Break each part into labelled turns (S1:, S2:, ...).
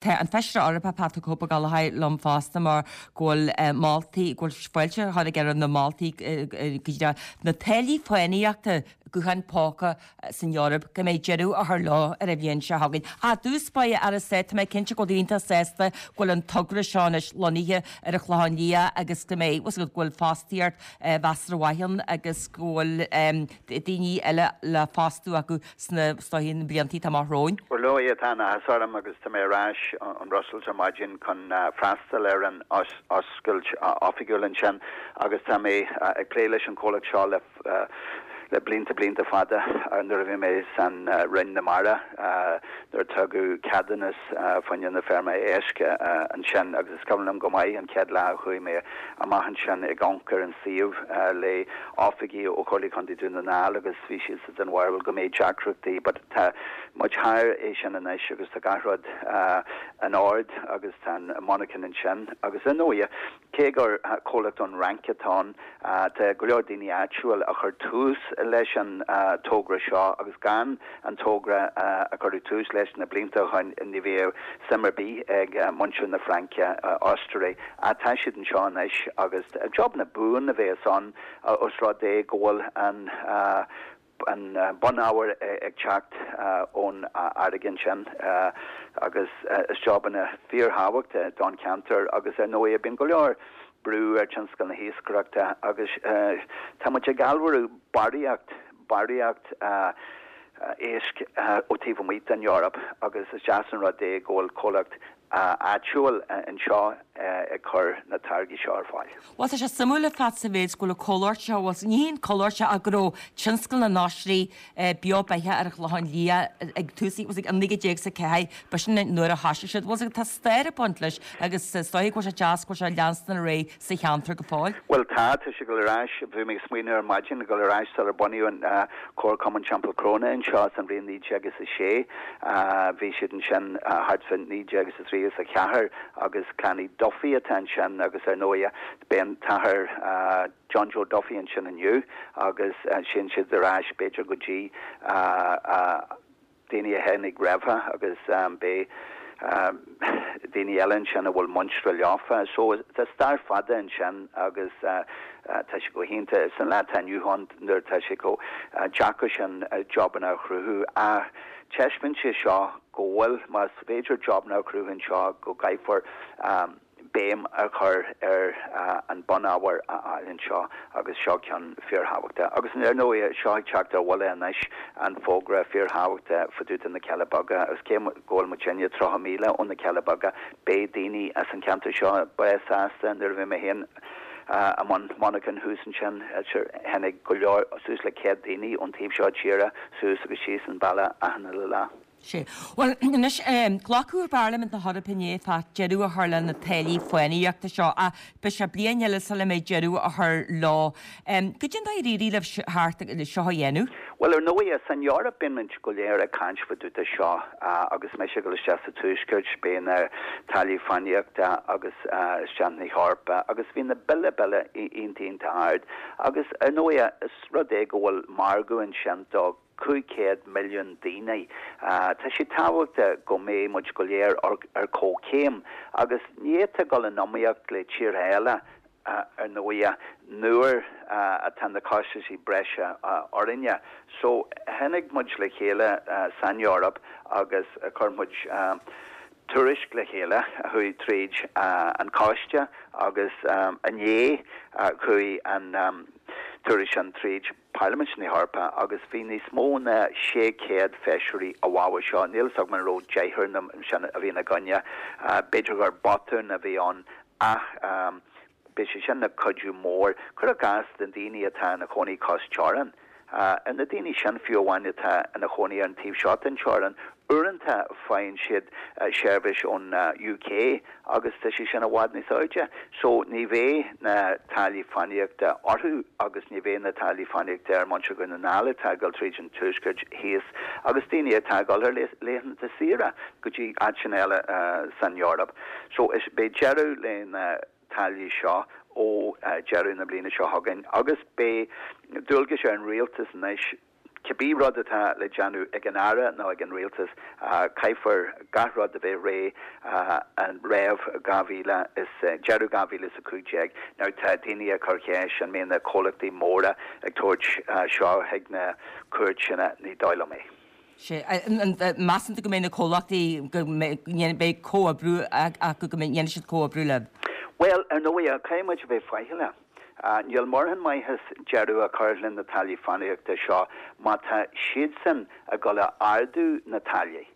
S1: Tá an Feisire Eorpach Pat the Cope Ó Gallchóir liom fosta mar go bhfuil moltaí, go bhfuil fáilte á chur aige roimh na moltaí go dtí na táillí fánaíochta gutháin póca san Eoraip go mbeidh deireadh á chur leo ar an bhliain seo chugainn. Ach i dtús báire, a Aire Stáit, tá mé cinnte go bhfuil tú iontach sásta go bhfuil an togra seo anois lonnaithe ar an Chlochán Liath agus go mbeidh, go bhfuil fostaíocht mheasartha mhaith ann agus go bhfuil daoine eile le fostú acu sna, is dóichí, na blianta atá amach romhainn.
S2: Ar ndóigh, tá an-áthas orm agus tá mé ar ais ón mBrussels ar maidin chun freastal ar an oscailt oifigiúil ansin agus tá mé ag plé leis an chomhlacht seo le le blianta blianta fada nuair a bhí mé san Roinn na Mara nuair a tugadh ceadúnas fá choinne na feirme éisc ansin agus is cuimhin liom go maith an chéad lá a chuaigh mé amach ansin ag amharc ar an suíomh le oifigigh ó Chomhairle Contae Dún na nGall agus bhí siad den bharúil go mbeidh deacrachtaí but tá muid thar é sin anois agus tá gach rud in ord agus tá an monarchan ansin agus ar ndóighe cé gur comhlacht ón Fhrainc atá ann tá go leor daoine áitiúil a chuir tús leis an togra seo agus gan an togra a cuireadh tús leis na blianta ó shin ní bheadh suim ar bith ag muintir na Fraince Austuré ach tá siad anseo anois agus jobanna buan a bheas ann Os rud é go bhfuil an an bunábhar ag teacht ón fharraige ansin agus is jobanna fíorthábhachtach don cheantar agus ar ndóigh bíonn go leor brú ar tionscal na hiascaireachta agus tá muid ag allmhairiú barraíocht, barraíocht éisc ó taobh amuigh den Eoraip agus is deas an rud é go bhfuil comhlacht áitiúil anseo ag cur na táirgí seo ar fáil.
S1: Bhuel, tá sé suimiúil ar fad sa mhéid go bhfuil an comhlacht seo, bhuel, ní haon comhlacht seo ach go raibh tionscal na n-oisrí beo beathach ar an Chlochán Liath ag tús, bhuel, an 19 is 4, b'shin an nuair a thoisigh siad. Bhuel, tá stair ag baint leis agus is dóigh go bhfuil sé deas go bhfuil sé ag leanstan ar aghaidh sa cheantar go fóill.
S2: Bhuel, tá, tá sé ag dul ar ais, bhí mé ag smaoineamh ar maidin, ag dul ar ais sular bunaíodh an Comharchumann Teampall Cróine anseo san bhliain 1906. Bhí siad ansin thart fá 19 is a 3 is a 4 agus Clann Uí Duffy atá ansin agus ar ndóighe beidh an tAthair John Joe Duffy ansin inniu agus téann siad ar ais b'fhéidir go dtí daoine a tháinig roimhe agus beidh daoine eile ansin a bhfuil muintir leofa. So tá stair fada ansin agus tá sé go hiontach san lá atá inniu ann nuair atá sé chomh deacair sin jobanna a chruthú ach taispeánann sé seo go bhfuil, más féidir jobanna a chruthú anseo, go gcaithfear béim a chur ar an bunábhar a fháil anseo agus seo ceann fíorthábhachtach. Agus ar ndóigh, seo ag teacht ar bhuille anois, an fógra fíorthábhachtach fá dtaobh de na Cealla Beaga agus cé go bhfuil muidinne 30 míle ó na Cealla Beaga, beidh daoine as an cheantar seo breá sásta nuair a bhí mé féin i mbun monarchan thuas ansin, tháinig go leor, suas le 100 daoine ón taobh seo tíre suas agus síos an bealach achan uile lá.
S1: Sea. Bhuel, anois, glacadh i bParlaimint na hEorpa inné fá deireadh a chur le na táillí fánaíochta seo, ach beidh sé bliain eile sula mbeidh deireadh á chur leo. Goidé an dóigh ar éirigh libh thart seo a dhéanamh?
S2: Bhuel, ar ndóigh, san Eoraip bíonn muid go léir ag caint fá dtaobh de seo agus mise ag dul isteach sa Tuaisceart, beidh na táillí fánaíochta agus isteach na hEorpa agus bhí na bille bille iontach iontach ard agus ar ndóigh is rud é go bhfuil margadh ansin do 500 milliún daoine. Tá sé tábhachtach go mbeidh muid go léir ar comhchéim agus ní fhéadfá dul in iomaíocht le tíortha eile, ar ndóighe, nuair atá na costaisí breise orainne. So, tháinig muid le chéile san Eoraip agus chuir muid tuairisc le chéile a chuaigh tríd an coiste agus inné chuaigh an tuairisc sin tríd Parlaimint na hEorpa agus bhí níos mó ná 600 feisirí i bhfabhar seo. Níl fhios agam an raibh deichniúr na sin a bhí ina gcoinne. B'fhéidir gur botún a bhí ann ach beidh sé sin ina chuidiú mór. Cuir i gcás na daoine atá ina chónaí cois teorann. Ar na daoine sin fiú amháin atá ina chónaí ar an taobh seo den teorann, uaireanta faigheann siad seirbhís ón UK agus tá sé sin i bhfad níos airde. So ní bheidh na táillí fánaíochta orthu agus ní bheidh na táillí fánaíochta ar muintir Dhún na nGall atá ag dul tríd an Tuaisceart thíos agus daoine atá ag dul ar laethanta saoire go dtí áiteanna eile san Eoraip. So is beidh deireadh le na táillí seo ó deireadh na bliana seo chugainn agus beidh dualgas ar an rialtas anois. Cibé rud atá le déanamh ag an Aire nó ag an Rialtas, caithfear gach rud a bheith réidh roimh 2000 is, deireadh 2015. Now tá daoine ag cur cheist an mbeidh na comhlachtaí móra ag tabhairt seo chuig na cúirteanna, ní dóigh liom é.
S1: Sea. Measann tú go mbeidh na comhlachtaí, go mbeidh comhoibriú acu, go ndéanfaidh siad comhoibriú libh?
S2: Bhuel, ar ndóigh, caithfidh muid a bheith faichilleach. Níl mórán maitheas deireadh a chur le na táillí fánaíochta seo má tá siadsan ag dul a ardú na táillí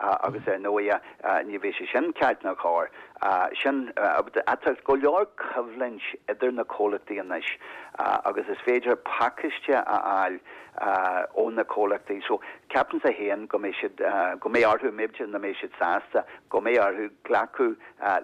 S2: agus ar ndóighe ní bheidh sé sin ceart ná cóir. Sin, tá go leor coimhlint idir na comhlachtaí anois agus is féidir pacáiste a fháil ó na comhlachtaí so ceapaimse féin go mbeidh siad, go mbeidh orthu, b'fhéidir nach mbeidh siad sásta, go mbeidh orthu glacadh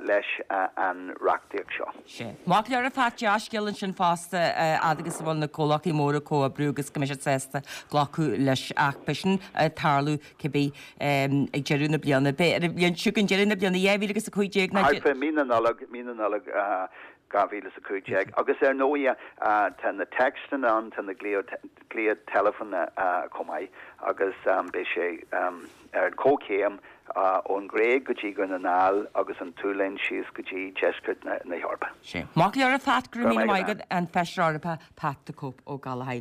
S2: leis an reachtaíocht seo.
S1: Sea. Maith go leor a Phat, dea-scéal ansin fosta, fhad agus a bhfuil na comhlachtaí móra ag comhoibriú agus go mbeidh siad sásta glacadh leis ach beidh sin ag tarlú cibé ag deireadh na bliana. Beidh ar an bhliain seo chugainn, deireadh na bliana 2015
S2: ná. Thart fé mí na Nollag, mí na Nollag 2015. Agus ar ndóighe tá na téacsanna ann, tá na glaoch teileafóin chomh maith agus beidh sé ar an comhchéim ón Ghréig go dtí Dhún na nGall agus an tSualainn síos go dtí deisceart na hEorpa.
S1: Sea. Maith go leor a Phat, go raibh míle maith agat, an Feisire Eorpach Pat the Cope Ó Gallchóir.